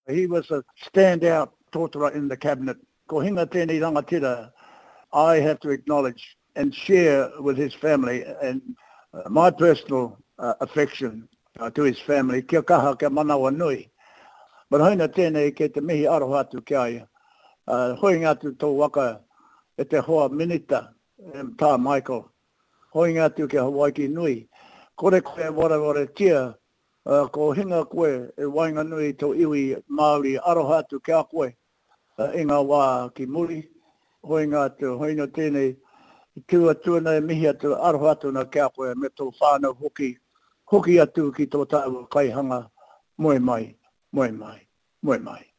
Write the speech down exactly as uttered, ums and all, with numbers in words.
He was a standout tōtara in the cabinet. Ko hinga tēnei rangatira, I have to acknowledge and share with his family and uh, my personal uh, affection uh, to his family, kia kaha, kia manawa nui. But hoina tēnei ke te mihi aroha atu ki a ia. Uh, hoinga atu tō waka e te hoa minita, e tā Michael. Hoinga atu ki Hawaiki nui. Kore koe warewaretia, uh, ko hinga koe e waenganui tō iwi Māori aroha atu ki a koe uh, i ngā wā ki muri. Hoinga atu, hoina tēnei, i tū atu ana e mihi atu, aroha atu ana ki a koe me tō whānau hoki, hoki atu ki tō tāua kaihanga, moe mai, moe mai, moe mai.